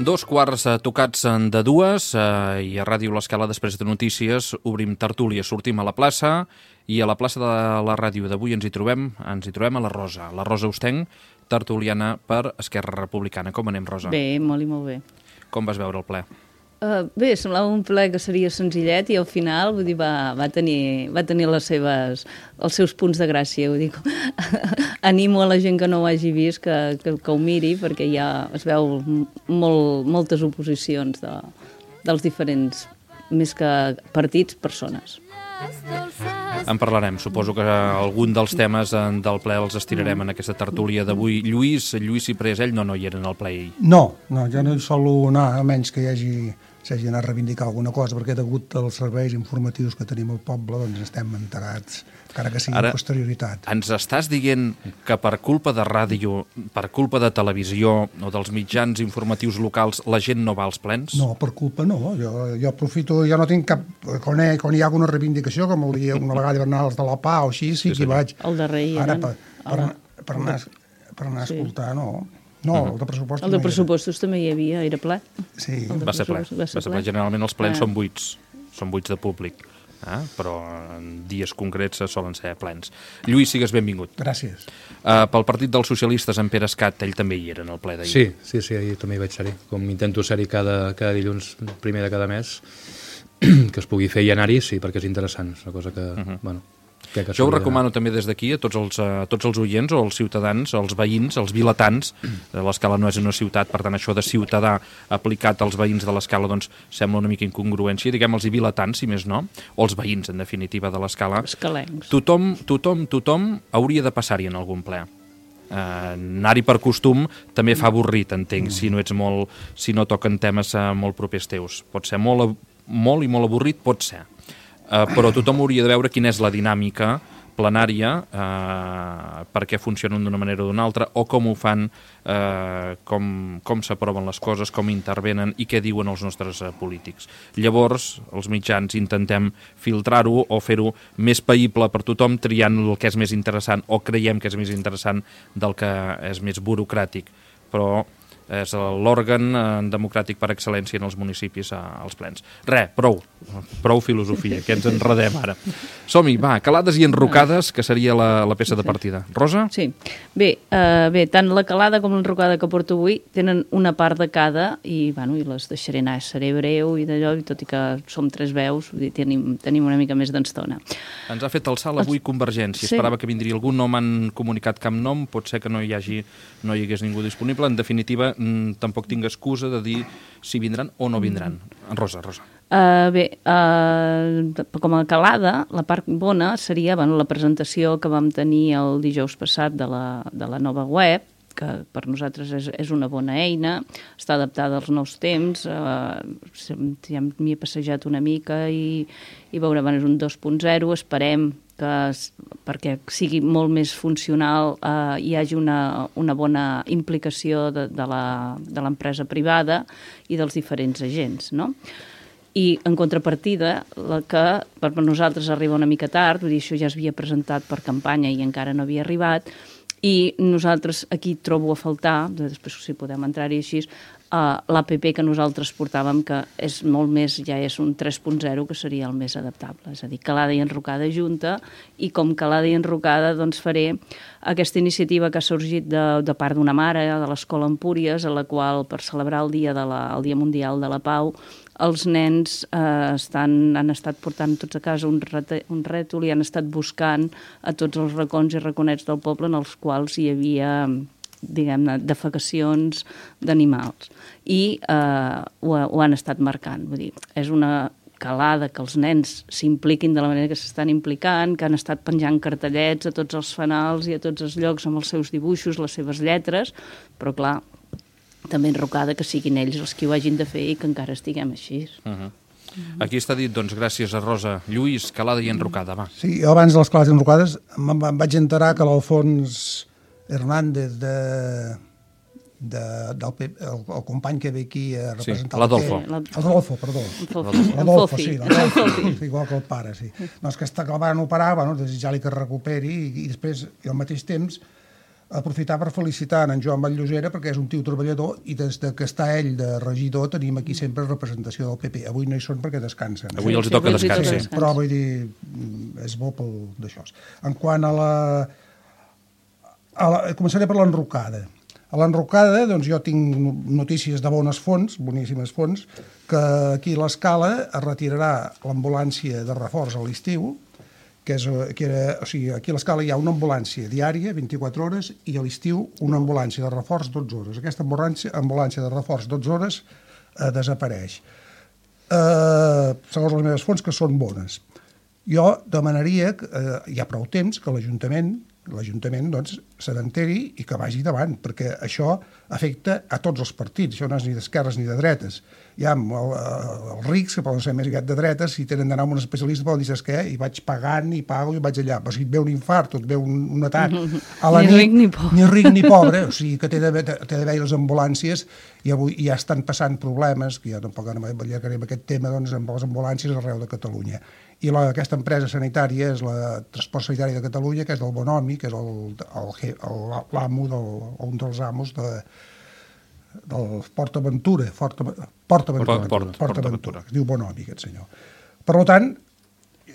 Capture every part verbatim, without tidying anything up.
Dos quarts eh, tocats de dues eh, i a Ràdio L'Escala, després de notícies, obrim tertúlia, sortim a la plaça i a la plaça de la ràdio d'avui ens hi trobem ens hi trobem a la Rosa, la Rosa Ostenc, tertuliana per Esquerra Republicana. Com anem, Rosa? Bé, molt i molt bé. Com vas veure el ple? Uh, bé, semblava un ple que seria senzillet i al final vull dir, va, va, tenir, va tenir les seves, els seus punts de gràcia. Vull dir, animo a la gent que no ho hagi vist que, que, que ho miri, perquè ja es veu molt, moltes oposicions de, dels diferents, més que partits, persones. En parlarem. Suposo que algun dels temes del ple els estirarem en aquesta tertúlia d'avui. Lluís, Lluís Ciprés, ell no, no hi era en el ple. No, no, jo no hi solo anar, a menys que hi hagi s'hagi d'anar a reivindicar alguna cosa, perquè degut als serveis informatius que tenim al poble, doncs estem enterats, encara que sigui amb posterioritat. Ens estàs dient que per culpa de ràdio, per culpa de televisió o dels mitjans informatius locals, la gent no va als plens? No, per culpa no. Jo, jo aprofito, jo no tinc cap... Quan hi, quan hi ha alguna reivindicació, com el dia, una vegada hivernals de la Pau o així, sí, sí que hi vaig. El darrer hi Ara, per, per, per, anar, per anar a escoltar, no... No, el de pressupostos El de pressupostos no també hi havia, era ple. Sí. Va ser ple. Va ser ple. Generalment els plens ah. són buits, són buits de públic, eh? Però en dies concrets solen ser plens. Lluís, sigues benvingut. Gràcies. Uh, pel Partit dels Socialistes, en Pere Escat, ell també hi era en el ple d'ahir. Sí, sí, sí, ahir també hi vaig ser-hi. Com intento ser-hi cada, cada dilluns, primer de cada mes, que es pugui fer i anar-hi, sí, perquè és interessant. És una cosa que, uh -huh. bueno... Jo ho recomano també des d'aquí a tots els, a tots els oients o els ciutadans, els veïns, els vilatans. L'Escala no és una ciutat, per tant això de ciutadà aplicat als veïns de l'Escala doncs sembla una mica incongruència, diguem els vilatans, si més no, o els veïns, en definitiva, de l'Escala. Escalencs. Tothom, tothom, tothom hauria de passar-hi en algun ple. Uh, anar-hi per costum també fa avorrit, entenc, mm. si no ets molt, si no toquen temes uh, molt propers teus. Pot ser molt, molt i molt avorrit, pot ser. Uh, però tothom hauria de veure quina és la dinàmica plenària, uh, per què funcionen d'una manera o d'una altra, o com ho fan, uh, com, com s'aproven les coses, com intervenen i què diuen els nostres uh, polítics. Llavors, els mitjans intentem filtrar-ho o fer-ho més païble per tothom, triant el que és més interessant o creiem que és més interessant del que és més burocràtic. Però és l'òrgan democràtic per excel·lència en els municipis als plens. Re, prou, prou filosofia, que ens enredem ara. Som-hi, va, calades i enrocades, que seria la, la peça de partida. Rosa? Sí. Bé, uh, bé, tant la calada com l'enrocada que porto avui tenen una part de cada i, bueno, i les deixaré anar, seré breu i d'allò, i tot i que som tres veus, vull dir, tenim, tenim una mica més d'estona. Ens ha fet el salt avui Convergència. Sí. Esperava que vindria algú, no m'han comunicat cap nom, pot ser que no hi hagi, no hi hagués ningú disponible. En definitiva, tampoc tinc excusa de dir si vindran o no vindran. Rosa, Rosa. Uh, bé, uh, com a calada, la part bona seria bueno, la presentació que vam tenir el dijous passat de la, de la nova web, que per nosaltres és, és una bona eina, està adaptada als nous temps, uh, ja m'hi he passejat una mica i, i veure, bueno, és un dos punt zero, esperem que perquè sigui molt més funcional eh, hi hagi una, una bona implicació de, de l'empresa privada i dels diferents agents, no? I en contrapartida, la que per nosaltres arriba una mica tard, vull dir, això ja es havia presentat per campanya i encara no havia arribat, i nosaltres aquí trobo a faltar, després si podem entrar-hi així, Uh, l'A P P que nosaltres portàvem, que és molt més, ja és un tres punt zero, que seria el més adaptable, és a dir, calada i enrocada junta, i com calada i enrocada doncs faré aquesta iniciativa que ha sorgit de, de part d'una mare de l'Escola Empúries, a la qual per celebrar el dia, de la, el dia Mundial de la Pau, els nens eh, estan, han estat portant tots a casa un, rete, un rètol i han estat buscant a tots els racons i raconets del poble en els quals hi havia, diguem-ne, defecacions d'animals. I eh, ho, ho han estat marcant. Vull dir, és una calada que els nens s'impliquin de la manera que s'estan implicant, que han estat penjant cartellets a tots els fanals i a tots els llocs amb els seus dibuixos, les seves lletres, però clar, també enrocada que siguin ells els que ho hagin de fer i que encara estiguem així. Uh-huh. Aquí està dit, doncs, gràcies a Rosa. Lluís, calada i enrocada, va. Sí, jo abans de les calades i enrocades em, em vaig enterar que l'Alfons Hernández de, de, del, el, el company que ve aquí a representar... Sí, l'Adolfo. L'Adolfo, perdó. L'Adolfo, sí, l'Adolfo, igual que el pare, sí. Doncs que, està, que el van operar, bueno, desitjar-li que es recuperi i, i després, i al mateix temps, aprofitar per felicitar en Joan Batllosera perquè és un tio treballador i des de que està ell de regidor tenim aquí sempre representació del P P. Avui no hi són perquè descansen. Avui els hi toca descans, sí. Però vull dir, és bo pel d'això. En quant a la... A la començaré per l'enrocada. A l'enrocada, doncs jo tinc notícies de bones fonts, boníssimes fonts, que aquí a l'Escala es retirarà l'ambulància de reforç a l'estiu, que és, que era, o sigui, aquí a l'Escala hi ha una ambulància diària, vint-i-quatre hores, i a l'estiu una ambulància de reforç, dotze hores. Aquesta ambulància, ambulància de reforç, dotze hores, eh, desapareix. Eh, segons les meves fonts, que són bones. Jo demanaria, que, eh, hi ha prou temps, que l'Ajuntament l'Ajuntament doncs, se n'enteri i que vagi davant, perquè això afecta a tots els partits, això no és ni d'esquerres ni de dretes. Hi ha el, els rics, que poden ser més aviat de dretes, si tenen d'anar amb un especialista poden dir, saps què? I vaig pagant, i pago, i vaig allà. Però si et ve un infart o et ve un, un atac... A la ni nit, ric ni pobre. Ni ric ni pobre, o sigui que té d'haver les ambulàncies i avui ja estan passant problemes, que ja tampoc allargarem aquest tema, doncs, amb les ambulàncies arreu de Catalunya. I la, aquesta empresa sanitària és la Transport Sanitari de Catalunya, que és del Bonomi, que és l'amo, un dels amos de, del Port Aventura, Port Aventura, Port Aventura, Port, Port, Port Aventura, que es diu Bonomi, aquest senyor. Per tant,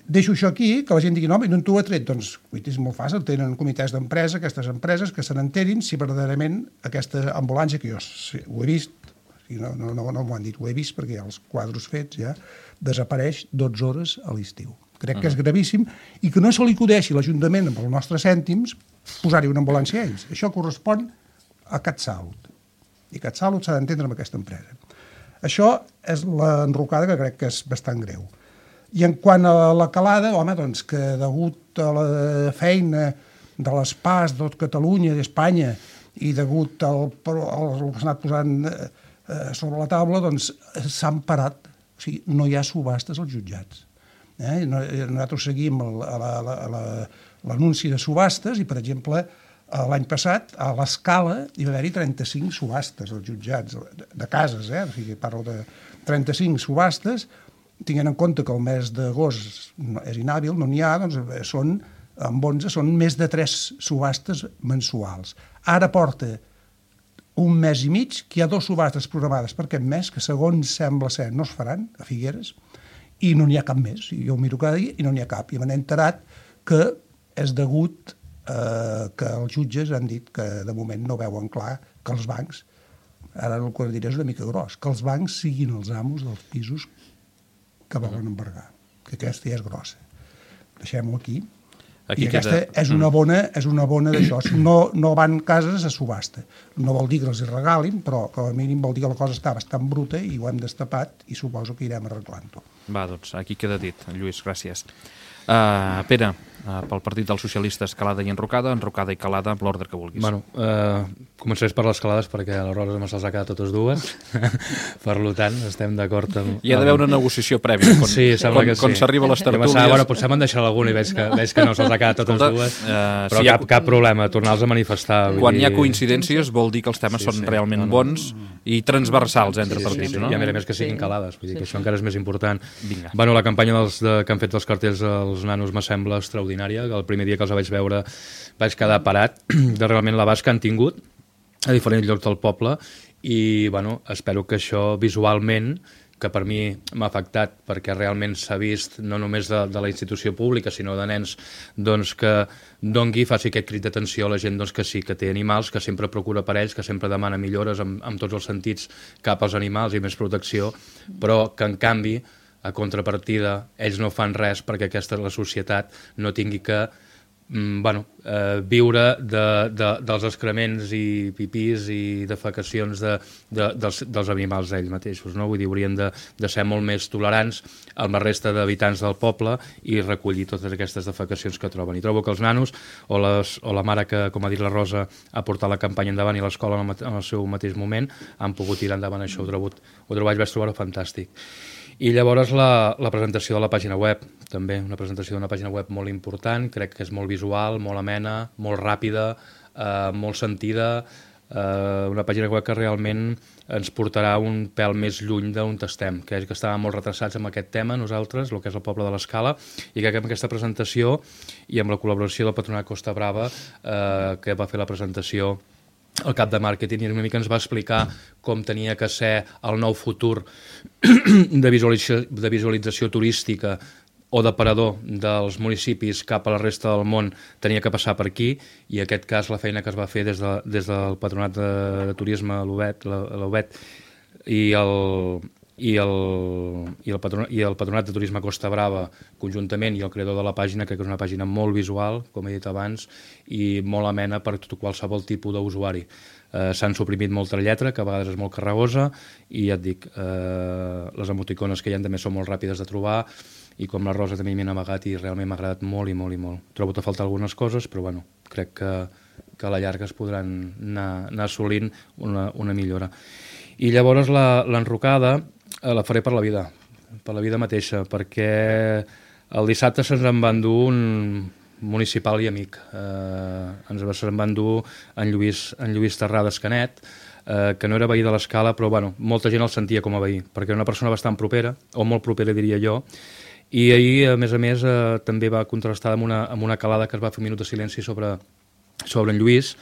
deixo això aquí, que la gent digui, no, no t'ho ha tret, doncs és molt fàcil, tenen comitès d'empresa, aquestes empreses, que se n'enterin si verdaderament aquesta ambulància, que jo ho he vist, no, no, no, no m'ho han dit, ho he vist perquè hi ha els quadros fets ja, desapareix dotze hores a l'estiu. Crec que és gravíssim i que no se li acudeixi l'Ajuntament amb els nostres cèntims posar-hi una ambulància a ells. Això correspon a CatSalut. I CatSalut s'ha d'entendre amb aquesta empresa. Això és l'enrocada que crec que és bastant greu. I en quant a la calada, home, doncs que degut a la feina de les P A S de tot Catalunya, d'Espanya, i degut al, al que s'ha anat posant eh, sobre la taula, doncs s'han parat. O sigui, no hi ha subhastes als jutjats. Eh? Nosaltres seguim l'anunci de subhastes i, per exemple, l'any passat, a l'Escala, hi va haver-hi trenta-cinc subhastes als jutjats, de cases, eh? O sigui, parlo de trenta-cinc subhastes, tinguent en compte que el mes d'agost és inhàbil, no n'hi ha, doncs són, amb onze, són més de tres subhastes mensuals. Ara porta un mes i mig que hi ha dues subhastes programades per aquest mes, que segons sembla ser no es faran, a Figueres, i no n'hi ha cap més. Jo ho miro cada dia i no n'hi ha cap. I m'han enterat que és degut eh, que els jutges han dit que de moment no veuen clar que els bancs, ara el que diré és una mica gros, que els bancs siguin els amos dels pisos que volen embargar, que aquesta ja és grossa. Deixem-ho aquí. Aquí I aquesta queda... és una bona, és una bona d'això. No, no van cases a subhasta. No vol dir que els hi regalin, però com a mínim vol dir que la cosa està bastant bruta i ho hem destapat i suposo que irem arreglant-ho. Va, doncs, aquí queda dit. Lluís, gràcies. Uh, Pere, uh, pel Partit dels Socialistes, calada i enrocada, enrocada i calada, amb l'ordre que vulguis. Bueno, uh, començaré per les calades perquè a la Rosa me se'ls ha quedat totes dues. Per tant, estem d'acord amb... Hi ha d'haver una negociació prèvia. Quan, sí, sembla quan, que sí. Quan s'arriba a les tertúlies... Pensava, bueno, potser m'han deixat alguna i veig que, veig que no se'ls ha quedat totes Escolta, dues, uh, però si cap, ha... cap problema, tornar-los a manifestar. Quan dir... hi ha coincidències vol dir que els temes sí, són sí, realment no, no. bons i transversals entre sí, partits, sí, sí, no? I a més a més que siguin sí. calades, vull dir sí, que sí. això encara és més important. Vinga. Bueno, la campanya dels, de, que han fet els cartells els nanos me sembla extraordinària, que el primer dia que els vaig veure vaig quedar parat de realment l'abast que han tingut a diferents llocs del poble i bueno, espero que això visualment, que per mi m'ha afectat perquè realment s'ha vist no només de, de la institució pública sinó de nens doncs, que dongui, faci aquest crit d'atenció a la gent doncs, que sí, que té animals, que sempre procura per ells, que sempre demana millores amb, amb tots els sentits cap als animals i més protecció, però que en canvi a contrapartida, ells no fan res perquè aquesta la societat no tingui que mm, bueno, eh, viure de, de, dels excrements i pipís i defecacions de, de, dels, dels animals ells mateixos. No? Vull dir, haurien de, de ser molt més tolerants amb la resta d'habitants del poble i recollir totes aquestes defecacions que troben. I trobo que els nanos o, les, o la mare que, com ha dit la Rosa, ha portat la campanya endavant i l'escola en, en el seu mateix moment han pogut tirar endavant això. Ho trobo, ho trobo, vaig trobar-ho fantàstic. I llavors la, la presentació de la pàgina web, també una presentació d'una pàgina web molt important, crec que és molt visual, molt amena, molt ràpida, eh, molt sentida, Uh, una pàgina web que realment ens portarà un pèl més lluny d'on estem, que és que estàvem molt retrasats amb aquest tema nosaltres, el que és el poble de l'Escala, i que amb aquesta presentació i amb la col·laboració del Patronat Costa Brava, uh, que va fer la presentació el cap de màrqueting, i una mica ens va explicar com tenia que ser el nou futur de visualització, de visualització turística o d'aparador dels municipis cap a la resta del món tenia que passar per aquí, i en aquest cas la feina que es va fer des, de, des del Patronat de, de Turisme, l'U B E T, i el, i, el, i, el patronat, i el Patronat de Turisme Costa Brava conjuntament, i el creador de la pàgina, que és una pàgina molt visual, com he dit abans, i molt amena per tot qualsevol tipus d'usuari. Eh, s'han suprimit molta lletra, que a vegades és molt carregosa, i ja et dic, eh, les emoticones que hi ha també són molt ràpides de trobar, i com la Rosa també m'hi he navegat i realment m'ha agradat molt i molt i molt. Trobo que falta algunes coses, però bueno, crec que, que a la llarga es podran anar, anar assolint una, una millora. I llavors l'enrocada eh, la faré per la vida, per la vida mateixa, perquè el dissabte se'ns en va endur un municipal i amic. Eh, ens se'n va endur en Lluís, en Lluís Terrades Canet, eh, que no era veí de l'Escala, però bueno, molta gent el sentia com a veí, perquè era una persona bastant propera, o molt propera diria jo, i ahir, a més a més, eh, també va contrastar amb una, amb una calada que es va fer un minut de silenci sobre, sobre en Lluís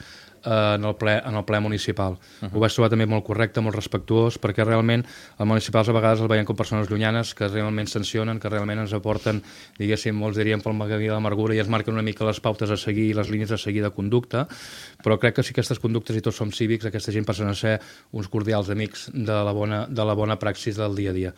eh, en, el ple, en el ple municipal. Uh -huh. Ho vaig trobar també molt correcte, molt respectuós, perquè realment els municipals a vegades els veiem com persones llunyanes que realment sancionen, que realment ens aporten, diguéssim, molts dirien pel camí de l'amargura, i ens marquen una mica les pautes a seguir i les línies a seguir de conducta, però crec que si aquestes conductes i tots som cívics, aquesta gent passen a ser uns cordials amics de la bona, de la bona praxis del dia a dia.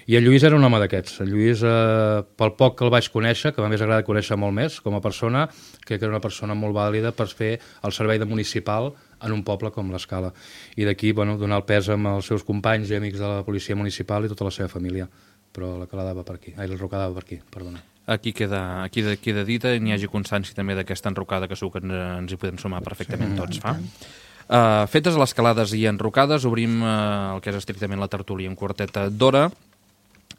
I en Lluís era un home d'aquests. En Lluís, eh, pel poc que el vaig conèixer, que m'hagués agradat conèixer molt més com a persona, crec que era una persona molt vàlida per fer el servei de municipal en un poble com l'Escala. I d'aquí, bueno, donar el pes amb els seus companys i amics de la policia municipal i tota la seva família. Però la calada va per aquí. Ai, l'enrocada va per aquí, perdona. Aquí queda, aquí queda dita i n'hi hagi constància també d'aquesta enrocada, que segur que ens hi podem sumar perfectament sí, tots, fa? Uh, fetes les calades i enrocades, obrim uh, el que és estrictament la tertúlia en quarteta d'hora,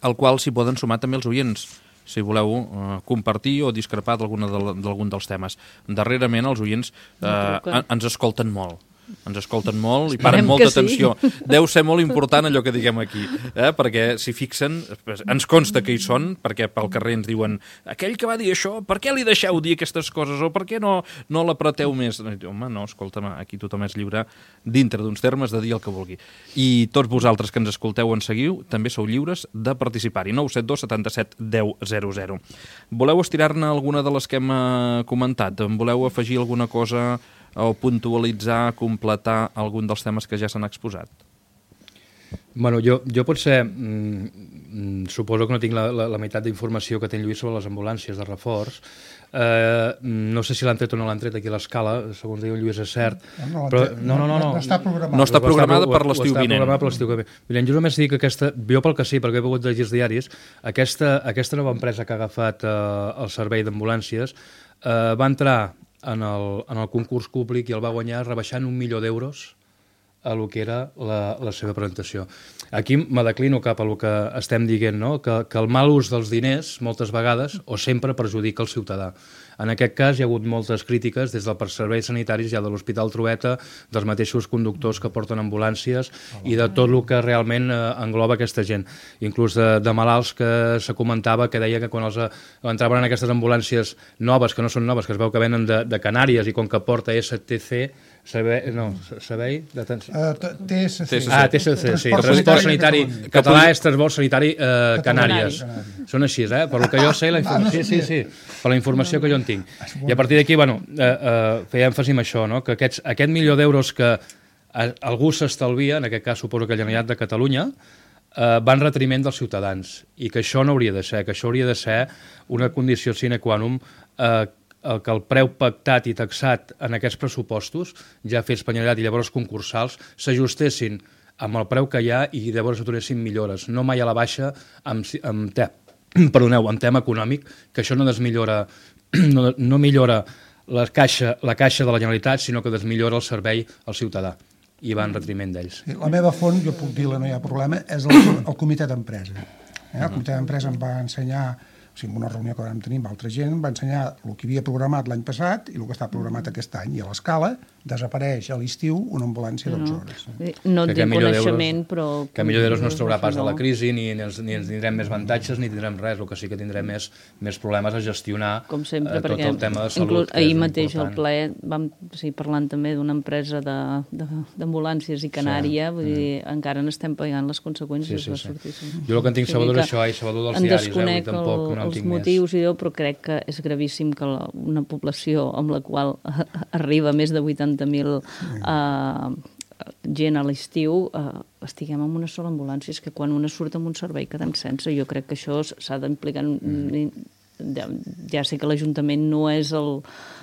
al qual s'hi poden sumar també els oients, si voleu uh, compartir o discrepar d'algun de, dels temes. Darrerament els oients uh, no, ens escolten molt. Ens escolten molt i paren molta atenció. Sí. Deu ser molt important allò que diguem aquí, eh? Perquè si fixen, ens consta que hi són, perquè pel carrer ens diuen aquell que va dir això, per què li deixeu dir aquestes coses o per què no, no l'apreteu més? Home, no, escolta'm, aquí tothom és lliure dintre d'uns termes de dir el que vulgui. I tots vosaltres que ens escolteu o ens seguiu també sou lliures de participar-hi. nou set dos setanta-set deu zero zero. Voleu estirar-ne alguna de les que hem comentat? Voleu afegir alguna cosa o puntualitzar, completar algun dels temes que ja s'han exposat? Bueno, jo, jo potser mm, suposo que no tinc la, la, la meitat d'informació que té Lluís sobre les ambulàncies de reforç. Eh, no sé si l'han tret o no l'han tret aquí a l'Escala, segons diu Lluís és cert. No, no, però, no, no, no, no. no està programada. No està programada per l'estiu vinent. Està programada per l'estiu vinent. Jo només dic que aquesta, jo pel que sí, perquè he pogut llegir els diaris, aquesta, aquesta nova empresa que ha agafat eh, el servei d'ambulàncies eh, va entrar en el, en el concurs públic i el va guanyar rebaixant un milió d'euros a lo que era la, la seva presentació. Aquí me declino cap a lo que estem dient, no? que, que el mal ús dels diners moltes vegades o sempre perjudica el ciutadà. En aquest cas hi ha hagut moltes crítiques des dels serveis sanitaris, ja de l'Hospital Trueta, dels mateixos conductors que porten ambulàncies i de tot el que realment eh, engloba aquesta gent. Inclús de, de malalts que se comentava que deia que quan els entraven en aquestes ambulàncies noves, que no són noves, que es veu que venen de, de Canàries i com que porta S T C, Servei, no, servei d'atenció... Uh, T S C. Ah, T S C, sí. Transport Sanitari Català és Transport Sanitari eh, Canàries. Són així, eh? Per lo que jo sé, la informació... Sí, sí, sí, per la informació que jo en tinc. I a partir d'aquí, bueno, eh, eh, feia èmfasi en això, no? Que aquests, aquest milió d'euros que algú s'estalvia, en aquest cas suposo que la Generalitat de Catalunya, eh, va en retriment dels ciutadans, i que això no hauria de ser, que això hauria de ser una condició sine qua non, eh, el que el preu pactat i taxat en aquests pressupostos, ja fets per Generalitat i llavors concursals, s'ajustessin amb el preu que hi ha i llavors aturessin millores, no mai a la baixa amb, amb, te, perdoneu, amb tema econòmic, que això no desmillora, no, no millora la caixa, la caixa de la Generalitat, sinó que desmillora el servei al ciutadà i va en retriment d'ells. La meva font, jo puc dir-la, no hi ha problema, és el, el comitè d'empresa. Eh? El comitè d'empresa em va ensenyar, o sigui, en una reunió que vam tenir amb altra gent, va ensenyar el que havia programat l'any passat i el que està programat aquest any. I a l'Escala desapareix a l'estiu una ambulància dotze hores. No et dic coneixement, però... Que a millor d'euros no es traurà pas de la crisi, ni, ni, ens, ni ens tindrem més avantatges, ni tindrem res. El que sí que tindrem més, més problemes a gestionar com sempre, eh, tot el tema de salut. Inclús, ahir mateix al ple vam sí, parlant també d'una empresa d'ambulàncies i Canària, sí. Vull dir, mm. encara n'estem pagant les conseqüències. Sí, sí, sí. Sortir, sí. Jo el que en tinc sabedor és això, i sabedor dels diaris, eh, i tampoc no en tinc més. Els motius i jo, però crec que és gravíssim que la, una població amb la qual arriba més de vuitanta mil uh, gent a l'estiu uh, estiguem en una sola ambulància. És que quan una surt amb un servei quedem sense. Jo crec que això s'ha d'implicar... Mm. Ja, ja sé que l'Ajuntament no és el,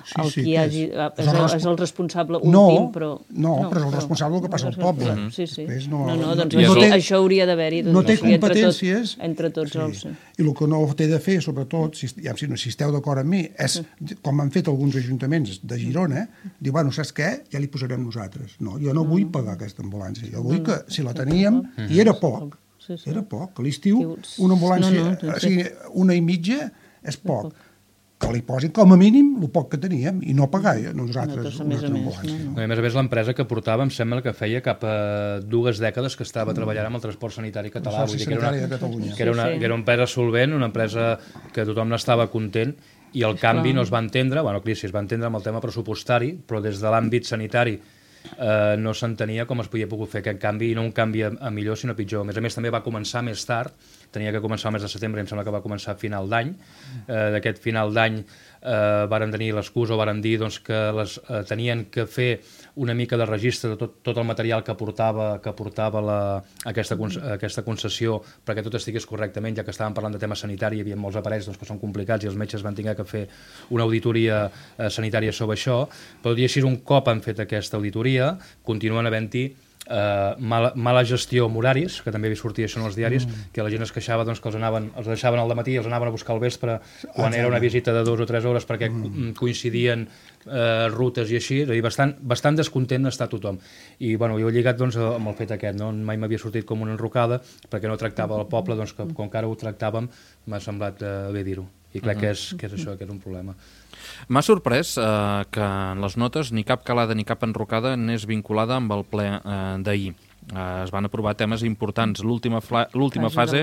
sí, el sí, qui hagi, és, és, el, és el responsable no, últim, però... No, no, però és el responsable que passa al poble. Mm-hmm. Sí, sí. No, no, no, doncs no, això, té, això hauria d'haver-hi. No té competències. Entre tots, entre tots sí. els... Sí. I el que no té de fer, sobretot, si, ja, si esteu d'acord amb mi, és, com han fet alguns ajuntaments de Girona, dir, bueno, saps què? Ja li posarem nosaltres. No, jo no vull pagar aquesta ambulància. Jo vull que, si la teníem, i era poc, era poc. A l'estiu, una ambulància, o sigui, una i mitja és poc. Que li posin com a mínim el poc que teníem i no pagar nosaltres una altra ambulància. No, a més a més, l'empresa que portava em sembla que feia cap a dues dècades que estava treballant amb el transport sanitari català. Vull dir que era una, que era una, que era una empresa solvent, una empresa que tothom n'estava content, i el canvi no es va entendre, bueno, crisi es va entendre amb el tema pressupostari, però des de l'àmbit sanitari eh, no s'entenia com es podia pogut fer aquest canvi, i no un canvi a, a millor sinó a pitjor. A més a més també va començar més tard, tenia que començar el mes de setembre i em sembla que va començar a final d'any. Eh, d'aquest final d'any eh, varen tenir l'excusa o varen dir doncs, que les, eh, tenien que fer una mica de registre de tot, tot el material que portava, que portava la, aquesta, aquesta concessió perquè tot estigués correctament, ja que estàvem parlant de tema sanitari, hi havia molts aparells doncs, que són complicats i els metges van haver que fer una auditoria eh, sanitària sobre això, però dir així, un cop han fet aquesta auditoria, continuen havent-hi Uh, mala, mala gestió amb horaris, que també sortia això en els diaris, mm. que la gent es queixava doncs, que els, anaven, els deixaven al dematí i els anaven a buscar al vespre quan ah, era una visita de dues o tres hores perquè mm. coincidien uh, rutes i així, és a dir, bastant, bastant descontent està tothom. I bueno, jo he lligat doncs, amb el fet aquest, no? Mai m'havia sortit com una enrocada perquè no tractava el poble, doncs, que, com que ara ho tractàvem, m'ha semblat uh, bé dir-ho. I crec que és, que és això, que és un problema. M'ha sorprès eh, que en les notes ni cap calada ni cap enrocada n'és vinculada amb el ple eh, d'ahir. Eh, es van aprovar temes importants. L'última fase,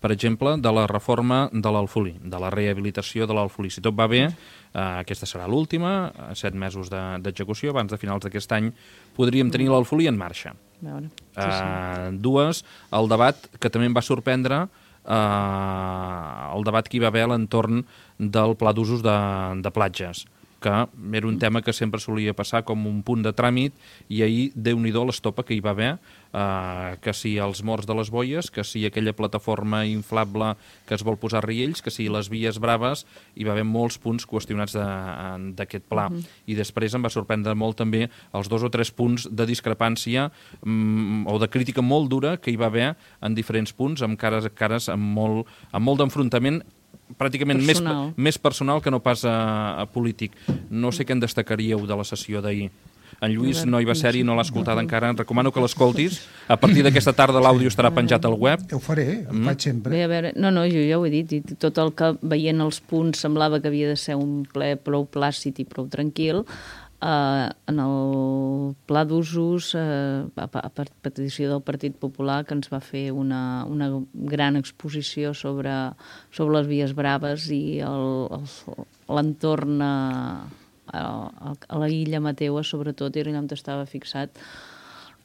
per exemple, de la reforma de l'Alfolí, de la rehabilitació de l'Alfolí. Si tot va bé, eh, aquesta serà l'última, set mesos d'execució, abans de finals d'aquest any podríem tenir l'Alfolí en marxa. Sí, sí. Eh, dues, el debat que també em va sorprendre, Uh, el debat que hi va haver a l'entorn del pla d'usos de, de platges, que era un tema que sempre solia passar com un punt de tràmit, i ahir, Déu-n'hi-do, l'estopa que hi va haver, uh, que si els morts de les boies, que si aquella plataforma inflable que es vol posar a Riells, que si les vies braves, hi va haver molts punts qüestionats d'aquest pla. Uh-huh. I després em va sorprendre molt també els dos o tres punts de discrepància um, o de crítica molt dura que hi va haver en diferents punts, amb cares a cares, amb molt, amb molt d'enfrontament pràcticament més, més personal que no pas a, a polític. No sé què en destacaríeu de la sessió d'ahir. En Lluís no hi va ser i no l'ha escoltat encara. Recomano que l'escoltis. A partir d'aquesta tarda l'àudio estarà penjat al web. Ho faré, ho faig sempre. Bé, a veure, no, no, jo ja ho he dit. I tot el que veient els punts semblava que havia de ser un ple prou plàcid i prou tranquil. Uh, en el pla d'usos, uh, a, a petició del Partit Popular, que ens va fer una, una gran exposició sobre, sobre les vies braves i l'entorn a, a, a la illa Mateua, sobretot, era allà on estava fixat.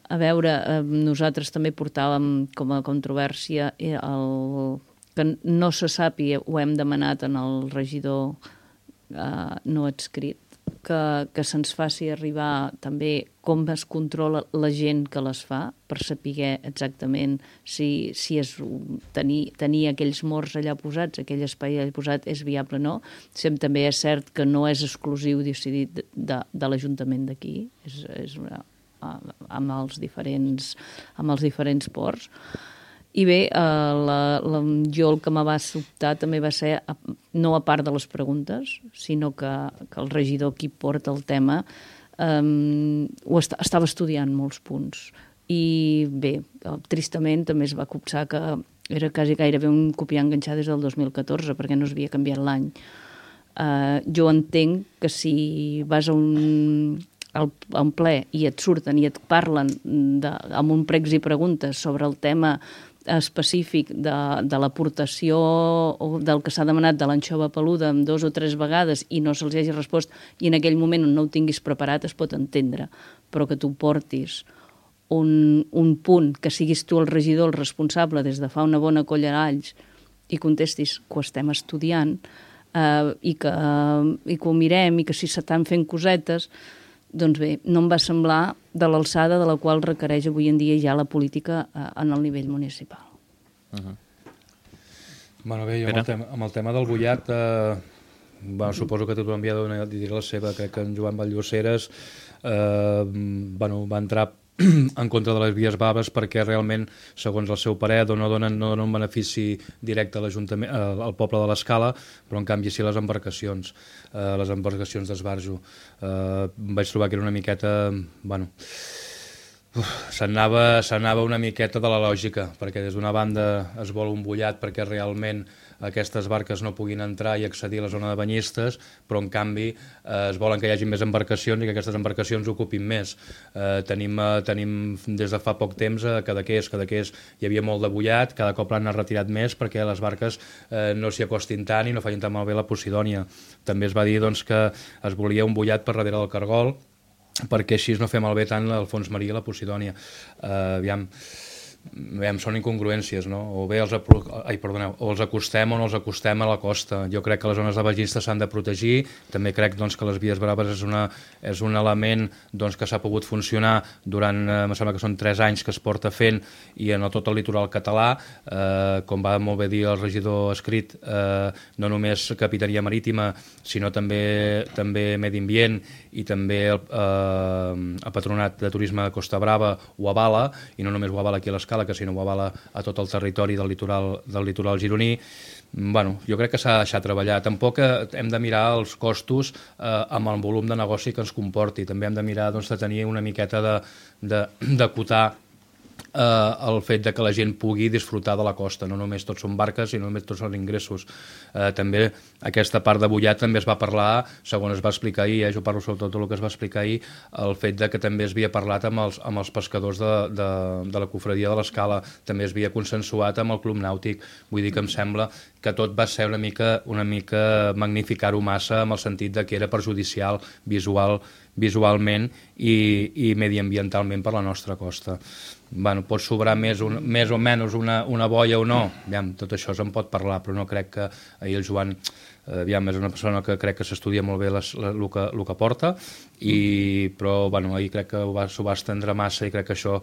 A veure, uh, nosaltres també portàvem com a controvèrsia el, que no se sàpiga, ho hem demanat en el regidor uh, no adscrit, que, que se'ns faci arribar també com es controla la gent que les fa, per saber exactament si, si és tenir, tenir aquells morts allà posats, aquell espai allà posat, és viable o no. Sem, també és cert que no és exclusiu decidit de, de, de l'Ajuntament d'aquí, és, és una, amb, els diferents, amb els diferents ports. I bé, eh, la, la, jo el que me va sobtar també va ser, no a part de les preguntes, sinó que, que el regidor qui porta el tema eh, ho est estava estudiant molts punts. I bé, tristament també es va copsar que era quasi gairebé un copiar enganxar des del dos mil catorze, perquè no s'havia canviat l'any. Eh, jo entenc que si vas a un... al, a un ple i et surten i et parlen de, amb un pregs i preguntes sobre el tema específic de, de l'aportació o del que s'ha demanat de l'anxova peluda amb dos o tres vegades i no se'ls hagi respost i en aquell moment on no ho tinguis preparat es pot entendre, però que tu portis un, un punt, que siguis tu el regidor, el responsable des de fa una bona colla d'alls i contestis que ho estem estudiant eh, i, que, eh, i que ho mirem i que si s'estan fent cosetes, doncs bé, no em va semblar de l'alçada de la qual requereix avui en dia ja la política eh, en el nivell municipal. Uh-huh. Bueno, bé, jo amb el, tema, amb el tema del Bullat, eh, bueno, suposo que tothom havia de dir la seva, crec que en Joan Valldoceres eh, bueno, va entrar en contra de les vies baves perquè realment, segons el seu parer, no donen, no donen un benefici directe a l'Ajuntament, al poble de l'Escala, però en canvi sí les embarcacions, eh, les embarcacions d'esbarjo. Eh, vaig trobar que era una miqueta... Bueno, s'anava s'anava una miqueta de la lògica, perquè des d'una banda es vol un Bullat perquè realment aquestes barques no puguin entrar i accedir a la zona de banyistes, però en canvi eh, es volen que hi hagi més embarcacions i que aquestes embarcacions ocupin més. Eh, tenim, eh, tenim des de fa poc temps a Cadaqués, Cadaqués hi havia molt de Bullat, cada cop l'han retirat més perquè les barques eh, no s'hi acostin tant i no facin tan malbé la Posidònia. També es va dir doncs, que es volia un Bullat per darrere del Cargol, perquè així no fer malbé tant el fons marí i la Posidònia. Uh, aviam, aviam, són incongruències, no? O bé els, ai, perdoneu, o els acostem o no els acostem a la costa. Jo crec que les zones de banyistes s'han de protegir, també crec doncs, que les vies braves és, una, és un element doncs, que s'ha pogut funcionar durant, eh, em sembla que són tres anys que es porta fent i en el, tot el litoral català, eh, com va molt bé dir el regidor escrit, eh, no només Capitania Marítima, sinó també, també Medi Ambient i també el, eh, el Patronat de Turisme de Costa Brava ho avala, i no només ho avala aquí a l'Escala, que si no ho avala a tot el territori del litoral, del litoral gironí. Bueno, jo crec que s'ha de deixar treballar. Tampoc hem de mirar els costos eh, amb el volum de negoci que ens comporti. També hem de mirar doncs, de tenir una miqueta de, de, d'acotar eh, el fet de que la gent pugui disfrutar de la costa. No només tots són barques i no només tots són ingressos. Eh, també aquesta part de Bullat també es va parlar, segons es va explicar ahir, eh, jo parlo sobretot tot el que es va explicar ahir, el fet de que també es havia parlat amb els, amb els pescadors de, de, de la cofradia de l'Escala, també es havia consensuat amb el Club Nàutic. Vull dir que em sembla que tot va ser una mica, una mica magnificar-ho massa en el sentit de que era perjudicial visual, visualment i, i mediambientalment per la nostra costa. Bueno, pot sobrar més, un, més o menys una, una boia o no, aviam, tot això se'n pot parlar, però no crec que ahir el Joan aviam, és una persona que crec que s'estudia molt bé les, la, el, que, el que porta, i, però bueno, ahir crec que s'ho va, va estendre massa i crec que això,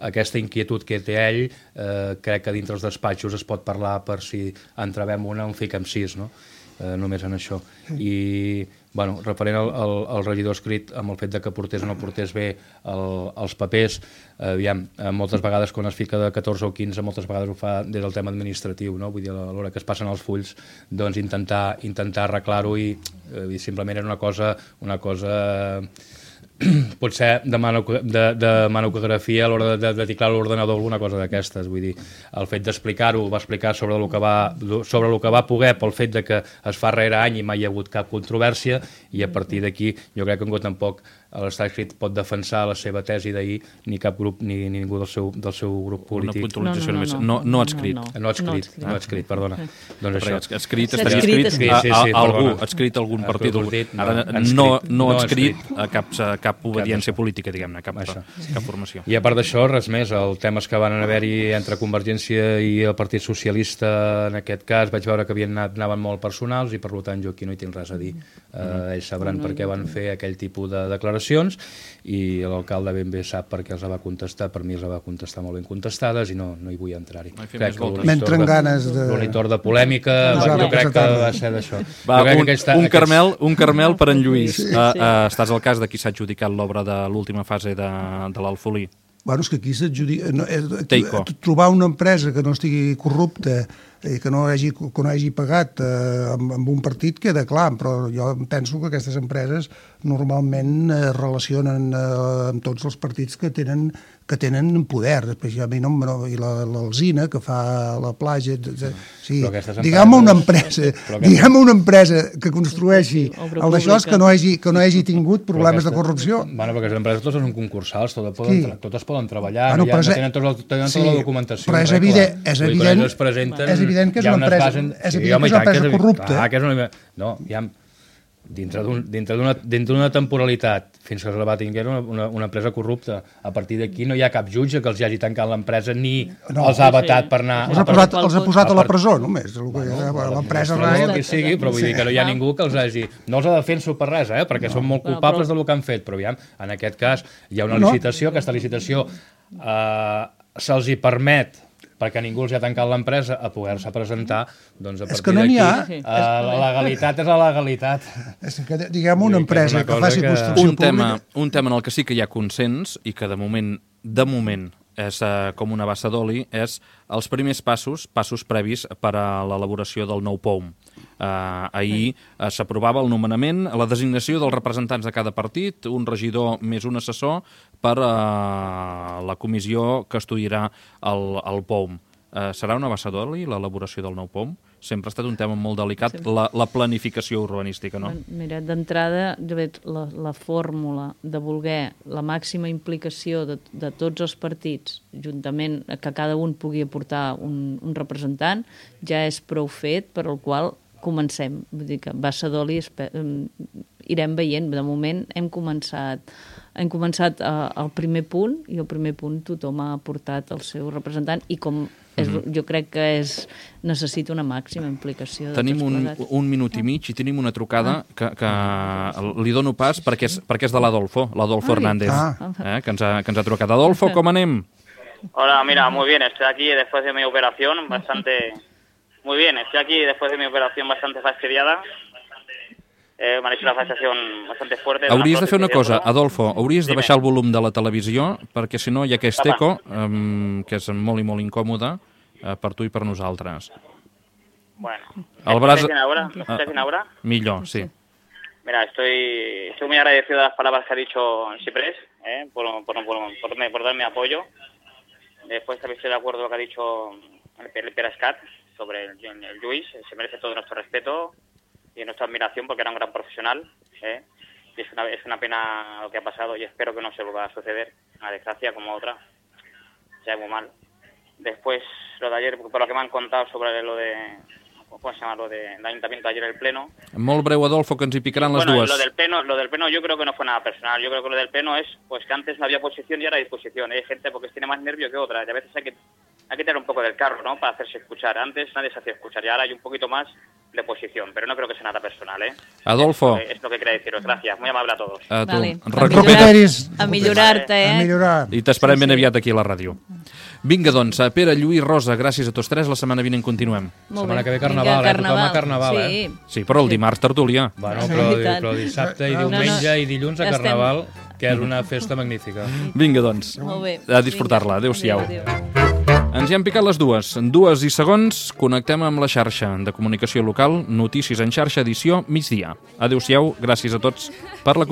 aquesta inquietud que té ell, eh, crec que dintre els despatxos es pot parlar per si entrebem una, en fiquem sis, no? Eh, només en això. I, bueno, referent al, al, al regidor escrit, amb el fet de que portés o no portés bé el, els papers, eh, aviam, eh, moltes vegades quan es fica de catorze o quinze, moltes vegades ho fa des del tema administratiu, no? Vull dir, a l'hora que es passen els fulls, doncs intentar, intentar arreglar-ho i, eh, i simplement era una cosa, una cosa potser de, mano, de, de manocografia a l'hora de, de, de teclar l'ordenador, alguna cosa d'aquestes. Vull dir, el fet d'explicar-ho, va explicar sobre el que va, sobre el que va poder pel fet de que es fa rere any i mai hi ha hagut cap controvèrsia, i a partir d'aquí jo crec que ningú tampoc l'estat escrit pot defensar la seva tesi d'ahir, ni cap grup ni, ni ningú del seu, del seu grup polític. Una puntualització no, no, no, no, no, no adscrit. No, no, no adscrit, no no adscrit, perdona. Doncs això. Escrit estaria escrit, escrit a, a, sí, sí, a algú, perdona. adscrit a algun partit. partit no, Ara adscrit, no, no no adscrit adscrit. a cap, a cap obediència cap política, diguem-ne, cap, cap formació. I a part d'això, res més. Els temes que van haver-hi entre Convergència i el Partit Socialista, en aquest cas, vaig veure que havien anat, anaven molt personals i, per tant, jo aquí no hi tinc res a dir. Eh, ells sabran per què van fer aquell tipus de declaracions i l'alcalde ben bé sap per què els va contestar. Per mi els va contestar molt ben contestades i no, no hi vull entrar-hi. No crec que M'entren ganes de... l'horitor de polèmica, no, jo no, crec que no. va ser d'això. Va, un, aquesta, un, carmel, un carmel per en Lluís. Sí. Uh, uh, estàs al cas de qui s'ha adjudicat l'obra de l'última fase de, de l'Alfolí. Bueno, és que aquí s'adjudica... No, és, Teico. trobar una empresa que no estigui corrupta i que no hagi, que no hagi pagat eh, amb, amb un partit queda clar, però jo penso que aquestes empreses normalment es eh, relacionen eh, amb tots els partits que tenen que tenen poder, després ja a mi no, no i l'Alzina que fa la platja, sí, diguem una empresa, diguem una empresa que construeixi el d'això que no hagi que no hagi tingut problemes de corrupció. Bueno, perquè les empreses totes són concursals, totes poden, totes poden treballar, bueno, ja no tenen tota la, sí, la documentació. Però és evident, és evident, és evident que és una empresa, és evident que és una empresa corrupta. Clar, que és una, no, ja dintre d'una dintre d'una temporalitat fins que se va tinguer una, una, una empresa corrupta. A partir d'aquí no hi ha cap jutge que els hagi tancat l'empresa ni no, els ha vetat sí. per anar... Els ha posat, els ha posat a la presó, només. Bueno, l'empresa... El que sigui, però vull dir que no hi ha ningú que els hagi... No els ha defenso per res, eh? Perquè no. són molt culpables del que han fet, però aviam, en aquest cas hi ha una licitació, aquesta licitació eh, se'ls hi permet perquè ningú els ha tancat l'empresa a poder-se presentar, doncs a partir no d'aquí uh, la legalitat és la legalitat. És que, diguem, una empresa que, que faci que... construcció un tema, pública... Un tema en el que sí que hi ha consens i que de moment, de moment, és uh, com una bassa d'oli, és els primers passos, passos previs per a l'elaboració del nou P O M. Uh, ahir uh, s'aprovava el nomenament, la designació dels representants de cada partit, un regidor més un assessor per a uh, la comissió que estudiarà el, el P O M. Uh, serà una bassa d'oli l'elaboració del nou P O M? Sempre ha estat un tema molt delicat, sí. la, la planificació urbanística, no? Mira, d'entrada, la, la fórmula de voler la màxima implicació de, de tots els partits, juntament que cada un pugui aportar un, un representant, ja és prou fet per al qual comencem. Vull dir que bassa d'oli irem veient. De moment hem començat hem començat uh, el primer punt i el primer punt tothom ha aportat el seu representant i com és, mm-hmm. jo crec que és, necessita una màxima implicació. Tenim un, un minut i mig i tenim una trucada ah. que, que li dono pas perquè és, perquè és de l'Adolfo, l'Adolfo Hernández, ah. eh, que, ens ha, que ens ha trucat. Adolfo, com anem? Hola, mira, muy bien, estoy aquí después de mi operación bastante... Muy bien, estoy aquí después de mi operación bastante fastidiada. Eh, M'han hecho una fastiación bastante fuerte. Hauries de fer una cosa, Adolfo, hauries de baixar el volum de la televisió, perquè si no hi ha aquest eco, um, que és molt i molt incòmode uh, per tu i per nosaltres. Bueno, el braç... ¿estás bien ahora? ¿Estás bien ahora? Millor, sí. Mira, estoy, estoy muy agradecido de las palabras que ha dicho Ciprés, eh, por, por, por, por, por darme apoyo. Después también estoy de acuerdo con lo que ha dicho el, el Perascat sobre el, el Lluís. Se merece todo nuestro respeto y nuestra admiración porque era un gran profesional, ¿eh? Y es una, es una pena lo que ha pasado y espero que no se vuelva a suceder, una desgracia como otra, ya muy mal. Después, lo de ayer, por lo que me han contado sobre lo de, ¿cómo se llama? Lo del ayuntamiento de ayer, el pleno. Molt breu, Adolfo, que ens hi picaran les bueno, dues. Lo del pleno, lo del pleno yo creo que no fue nada personal, yo creo que lo del pleno es pues que antes no había posición y ahora hay disposición. Hay gente porque tiene más nervio que otra y a veces hay que, hay que tirar un poco del carro, ¿no? Para hacerse escuchar. Antes nadie se hacía escuchar y ahora hay un poquito más de posición, pero no creo que sea nada personal, ¿eh? Adolfo. Es lo que quería deciros. Gracias, muy amable a todos. A tu. Vale. Recupera't. A millorar-te, eh? A millorar. I t'esperem sí, ben sí. aviat aquí a la ràdio. Vinga, doncs, Pere, Lluís, Rosa, gràcies a tots tres. La setmana vinent continuem. Molt setmana bé. que ve Carnaval, Vinga, eh? Tothom a Carnaval, sí. eh? Sí, però el dimarts tertúlia. Bueno, però, però dissabte i diumenge no, no. i dilluns a Carnaval, que és una festa magnífica. Vinga, doncs, molt bé. a disfrutar-la. Adéu-siau. Adéu, adéu. Ens hi han picat les dues. En dues i segons connectem amb la xarxa de comunicació local, Notícies en xarxa, edició migdia. Adéu-siau, gràcies a tots per la